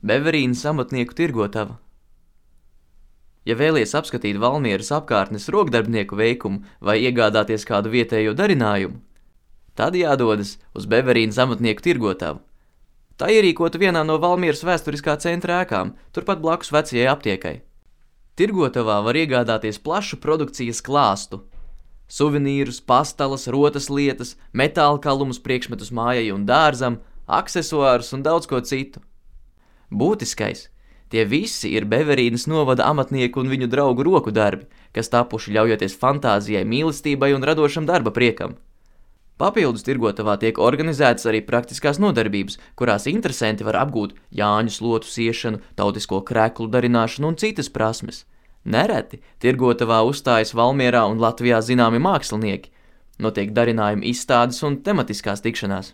Beverīnas amatnieku tirgotava. Ja vēlies apskatīt Valmieras apkārtnes rokdarbnieku veikumu vai iegādāties kādu vietējo darinājumu, tad jādodas uz Beverīnas amatnieku tirgotavu. Tā ierīkota vienā no Valmieras vēsturiskā centra ēkām, turpat blakus vecajai aptiekai. Tirgotavā var iegādāties plašu produkcijas klāstu. Suvenīrus, pastalas, rotas lietas, metāla kalumus, priekšmetus mājai un dārzam, aksesuārus un daudz ko citu. Būtiskais – tie visi ir Beverīnas novada amatnieku un viņu draugu roku darbi, kas tapuši ļaujoties fantāzijai, mīlestībai un radošam darba priekam. Papildus tirgotavā tiek organizētas arī praktiskās nodarbības, kurās interesanti var apgūt jāņu slotu siešanu, tautisko kreklu darināšanu un citas prasmes. Nereti tirgotavā uzstājas Valmierā un Latvijā zināmi mākslinieki, notiek darinājumu izstādes un tematiskās tikšanās.